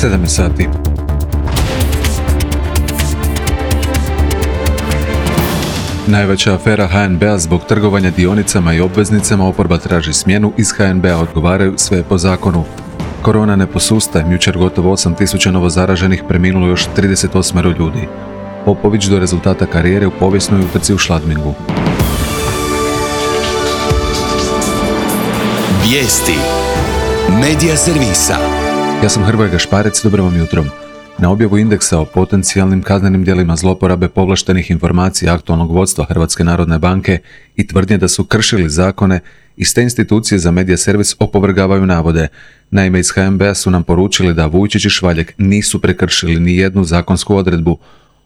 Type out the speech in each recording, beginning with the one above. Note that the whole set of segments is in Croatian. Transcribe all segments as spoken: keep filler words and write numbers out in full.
sedam je sati. Najveća afera ha en be-a zbog trgovanja dionicama i obveznicama, oporba traži smjenu, iz ha en be-a odgovaraju sve po zakonu. Korona ne posustaje, jučer gotovo osam tisuća novozaraženih, preminulo još trideset osam ljudi. Popović do rezultata karijere u povijesnoj utrci u Schladmingu. Vijesti Medija servisa. Ja sam Hrvoje Gašparec, dobro vam jutro. Na objavu indeksa o potencijalnim kaznenim djelima zloporabe povlaštenih informacija aktualnog vodstva Hrvatske narodne banke i tvrdnje da su kršili zakone, iz te institucije za medija servis opovrgavaju navode. Naime, iz ha en be-a su nam poručili da Vujčić i Švaljek nisu prekršili ni jednu zakonsku odredbu.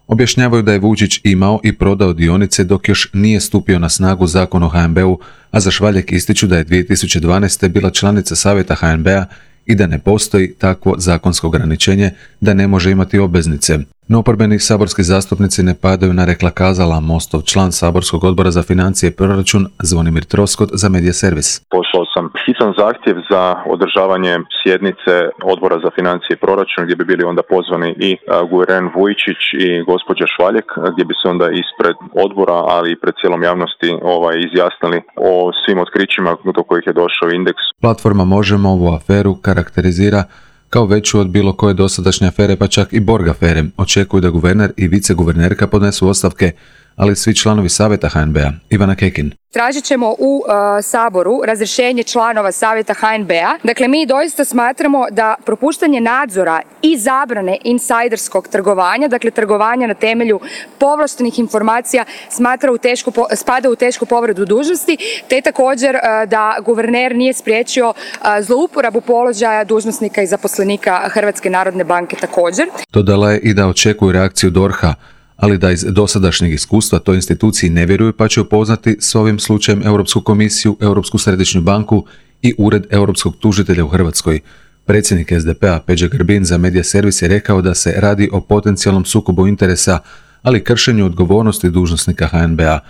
Objašnjavaju da je Vujčić imao i prodao dionice dok još nije stupio na snagu zakon o ha en be-u, a za Švaljek ističu da je dvije tisuće dvanaeste. bila članica savjeta ha en be-a i da ne postoji takvo zakonsko ograničenje da ne može imati obveznice. No oporbeni saborski zastupnici ne padaju na rekla kazala. Mostov član saborskog odbora za financije i proračun Zvonimir Troskot za medija servis. Poslao sam hitan zahtjev za održavanje sjednice odbora za financije i proračun gdje bi bili onda pozvani i guverner Vujčić i gospođa Švaljek, gdje bi se onda ispred odbora, ali i pred cijelom javnosti ovaj, izjasnili o svim otkrićima do kojih je došao indeks. Platforma Možemo ovu aferu karakterizira kao veću od bilo koje dosadašnje afere, pa čak i Borg afere. Očekuju da guverner i viceguvernerka podnesu ostavke, ali svi članovi savjeta ha en be-a. Ivana Kekin. Tražit ćemo u uh, Saboru razrješenje članova savjeta ha en be-a. Dakle, mi doista smatramo da propuštanje nadzora i zabrane insajderskog trgovanja, dakle trgovanja na temelju povlaštenih informacija, smatra u tešku, spada u tešku povredu dužnosti, te također uh, da guverner nije spriječio uh, zlouporabu položaja dužnosnika i zaposlenika Hrvatske narodne banke također. Dodala je i da očekuju reakciju D O R ha, ali da iz dosadašnjeg iskustva toj instituciji ne vjeruju, pa će upoznati s ovim slučajem Europsku komisiju, Europsku središnju banku i Ured Europskog tužitelja u Hrvatskoj. Predsjednik es de pe-a Peđa Grbin za medija servis je rekao da se radi o potencijalnom sukobu interesa, ali kršenju odgovornosti dužnosnika ha en be-a.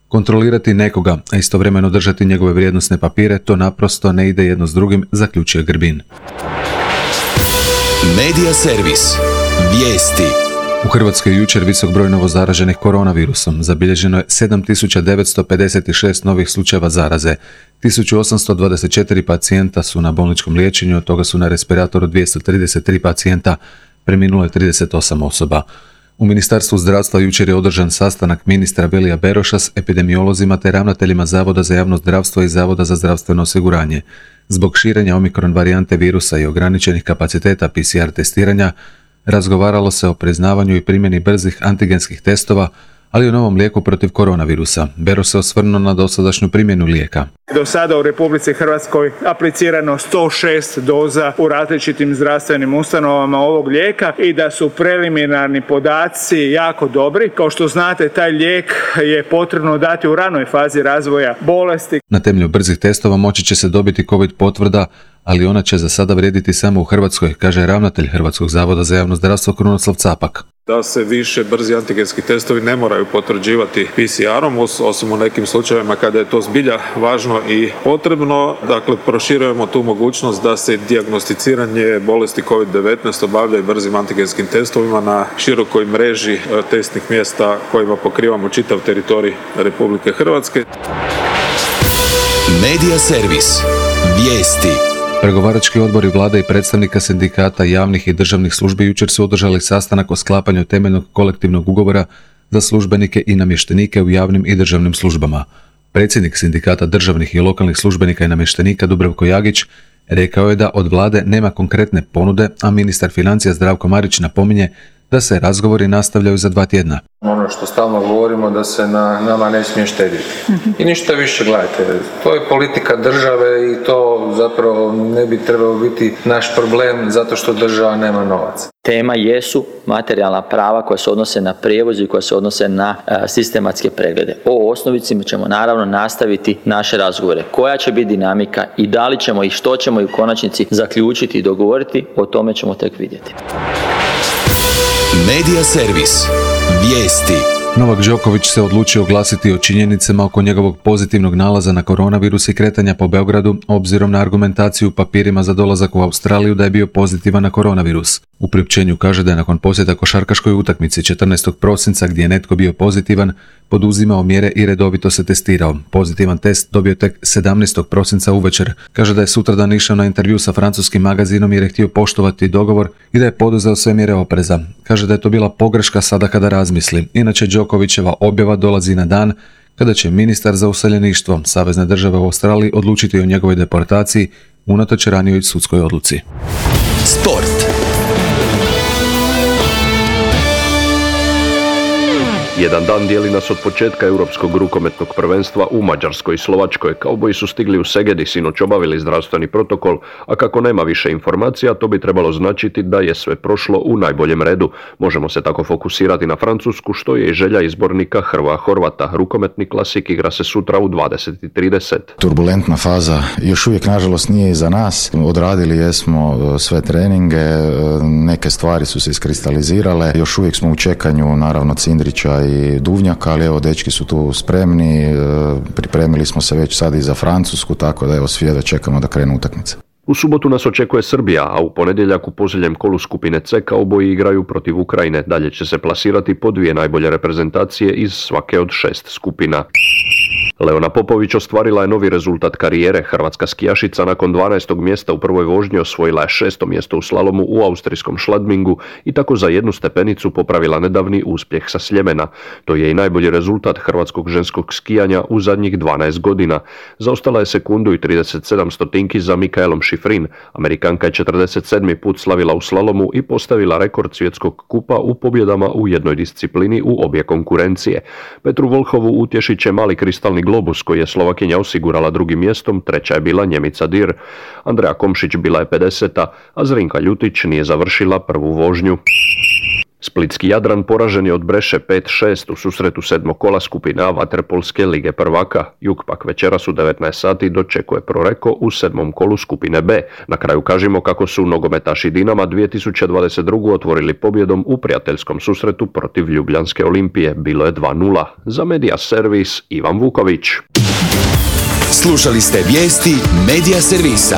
Kontrolirati nekoga, a istovremeno držati njegove vrijednosne papire, to naprosto ne ide jedno s drugim, zaključuje Grbin. Medija servis. Vijesti. U Hrvatskoj je jučer visok broj novozaraženih koronavirusom. Zabilježeno je sedam tisuća devetsto pedeset šest novih slučajeva zaraze. tisuću osamsto dvadeset četiri pacijenta su na bolničkom liječenju, od toga su na respiratoru dvjesto trideset tri pacijenta, preminulo je trideset osam osoba. U Ministarstvu zdravstva jučer je održan sastanak ministra Vilija Beroša s epidemiolozima te ravnateljima Zavoda za javno zdravstvo i Zavoda za zdravstveno osiguranje. Zbog širenja omikron varijante virusa i ograničenih kapaciteta pe ce er testiranja, razgovaralo se o priznavanju i primjeni brzih antigenskih testova, ali i o novom lijeku protiv koronavirusa. Beroš se osvrnuo na dosadašnju primjenu lijeka. Do sada u Republici Hrvatskoj aplicirano sto šest doza u različitim zdravstvenim ustanovama ovog lijeka i da su preliminarni podaci jako dobri. Kao što znate, taj lijek je potrebno dati u ranoj fazi razvoja bolesti. Na temelju brzih testova moći će se dobiti COVID potvrda, ali ona će za sada vrijediti samo u Hrvatskoj, kaže ravnatelj Hrvatskog zavoda za javno zdravstvo Krunoslav Capak. Da se više brzi antigenski testovi ne moraju potvrđivati pe ce erom, osim u nekim slučajevima kada je to zbilja važno i potrebno. Dakle, proširujemo tu mogućnost da se dijagnosticiranje bolesti kovid devetnaest obavlja i brzim antigenskim testovima na širokoj mreži testnih mjesta kojima pokrivamo čitav teritorij Republike Hrvatske. Medija servis. Vijesti. Pregovarački odbori vlade i predstavnika sindikata javnih i državnih službi jučer su održali sastanak o sklapanju temeljnog kolektivnog ugovora za službenike i namještenike u javnim i državnim službama. Predsjednik sindikata državnih i lokalnih službenika i namještenika Dubravko Jagić rekao je da od vlade nema konkretne ponude, a ministar financija Zdravko Marić napominje da se razgovori nastavljaju za dva tjedna. Ono što stalno govorimo da se na nama ne smije štediti. I ništa više, gledajte, to je politika države i to zapravo ne bi trebalo biti naš problem zato što država nema novaca. Tema jesu materijalna prava koja se odnose na prijevoz i koja se odnose na a, sistematske preglede. O osnovici ćemo naravno nastaviti naše razgovore. Koja će biti dinamika i da li ćemo i što ćemo i u konačnici zaključiti i dogovoriti, o tome ćemo tek vidjeti. Medija servis. Vijesti. Novak Đoković se odlučio oglasiti o činjenicama oko njegovog pozitivnog nalaza na koronavirus i kretanja po Beogradu, obzirom na argumentaciju u papirima za dolazak u Australiju da je bio pozitivan na koronavirus. U priopćenju kaže da je nakon posjeta košarkaškoj utakmici četrnaestog prosinca gdje je netko bio pozitivan, poduzimao mjere i redovito se testirao. Pozitivan test dobio tek sedamnaestog prosinca uvečer. Kaže da je sutradan išao na intervju sa francuskim magazinom jer je htio poštovati dogovor i da je poduzeo sve mjere opreza. Kaže da je to bila pogreška sada kada razmisli. Inače, Đokovićeva objava dolazi na dan kada će ministar za useljeništvo Savezne države u Australiji odlučiti o njegovoj deportaciji unatoč ranijoj sudskoj odluci. Sport. Jedan dan dijeli nas od početka Europskog rukometnog prvenstva u Mađarskoj i Slovačkoj. Kauboji su stigli u Segedi, sinoć obavili zdravstveni protokol, a kako nema više informacija, to bi trebalo značiti da je sve prošlo u najboljem redu. Možemo se tako fokusirati na Francusku, što je i želja izbornika Hrvoja Horvata. Rukometni klasik igra se sutra u dvadeset i trideset. Turbulentna faza još uvijek nažalost nije iza nas. Odradili jesmo sve treninge, neke stvari su se iskristalizirale. Još uvijek smo u čekanju, naravno, Cindrića i Duvnjaka, ali evo, dečki su tu spremni, pripremili smo se već sad i za Francusku, tako da evo, svi da čekamo da krenu utakmice. U subotu nas očekuje Srbija, a u ponedjeljak u posljednjem kolu skupine C kauboji igraju protiv Ukrajine. Dalje će se plasirati po dvije najbolje reprezentacije iz svake od šest skupina. Leona Popović ostvarila je novi rezultat karijere. Hrvatska skijašica nakon dvanaestog mjesta u prvoj vožnji osvojila je šesto mjesto u slalomu u austrijskom Schladmingu i tako za jednu stepenicu popravila nedavni uspjeh sa Sljemena. To je i najbolji rezultat hrvatskog ženskog skijanja u zadnjih dvanaest godina. Zaostala je sekundu i trideset sedam stotinki za Mikaelom Šifrin. Amerikanka je četrdeset sedmi put slavila u slalomu i postavila rekord svjetskog kupa u pobjedama u jednoj disciplini u obje konkurencije. Petru Volhovu utješit će mali kristalni globus koji je Slovakinja osigurala drugim mjestom, treća je bila Njemica Dir. Andreja Komšić bila je pedeseta, a Zrinka Ljutić nije završila prvu vožnju. Splitski Jadran poražen je od Breše pet šest u susretu sedmog kola skupine A vaterpolske lige prvaka. Jug pak večeras u devetnaest sati dočekuje Proreko u sedmom kolu skupine B. Na kraju kažemo kako su nogometaši Dinama dvije tisuće dvadeset druge otvorili pobjedom u prijateljskom susretu protiv Ljubljanske Olimpije. Bilo je dva nula. Za Media Servis Ivan Vuković. Slušali ste vijesti Media Servisa.